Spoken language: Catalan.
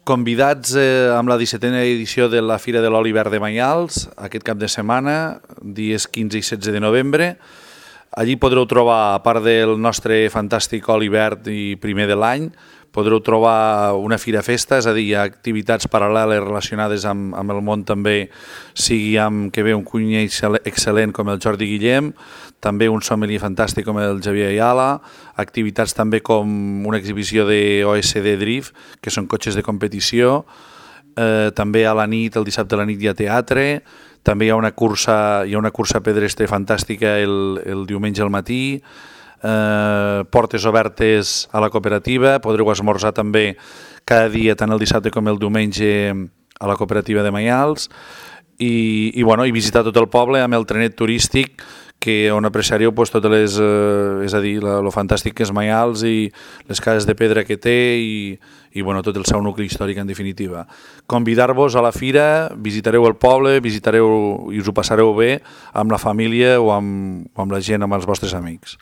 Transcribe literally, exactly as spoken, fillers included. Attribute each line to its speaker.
Speaker 1: Convidats eh, amb la dissetena edició de la Fira de l'Oli Verd de Maials, aquest cap de setmana, dies quinze i setze de novembre. Allí podreu trobar, a part del nostre fantàstic oli verd i primer de l'any, podreu trobar una fira festa, és a dir, activitats paral·leles relacionades amb, amb el món també, sigui amb que ve un cuiner excel·lent com el Jordi Guillem, també un sommelier fantàstic com el Javier Ayala, activitats també com una exhibició de O S D Drift, que són cotxes de competició, eh, també a la nit, el dissabte a la nit hi ha teatre, també hi ha una cursa, hi ha una cursa pedestre fantàstica el, el diumenge al matí, Eh, portes obertes a la cooperativa, podreu esmorzar també cada dia, tant el dissabte com el diumenge, a la cooperativa de Maials i, i, bueno, i visitar tot el poble amb el trenet turístic que on apreciareu pues, totes les, eh, és a dir, la, lo fantàstic que és Maials i les cases de pedra que té i, i bueno, tot el seu nucli històric en definitiva. Convidar-vos a la fira, visitareu el poble, visitareu i us ho passareu bé amb la família o amb, o amb la gent, amb els vostres amics.